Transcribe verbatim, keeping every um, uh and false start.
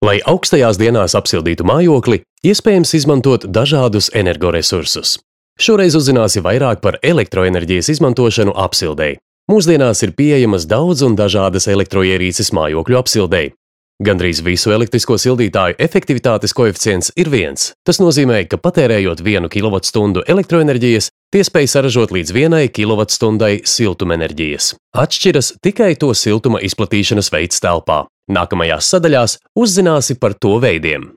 Lai augstajās dienās apsildītu mājokli, iespējams izmantot dažādus energoresursus. Šoreiz uzzināsi vairāk par elektroenerģijas izmantošanu apsildei. Mūsdienās ir pieejamas daudz un dažādas elektroierīces mājokļu apsildei. Gandrīz visu elektrisko sildītāju efektivitātes koeficients ir viens. Tas nozīmē, ka patērējot vienu kilovatstundu elektroenerģijas, tie spēj saražot līdz vienai kilovatstundai siltumenerģijas. Atšķiras tikai to siltuma izplatīšanas veids telpā. Nākamajās sadaļās uzzināsi par to veidiem.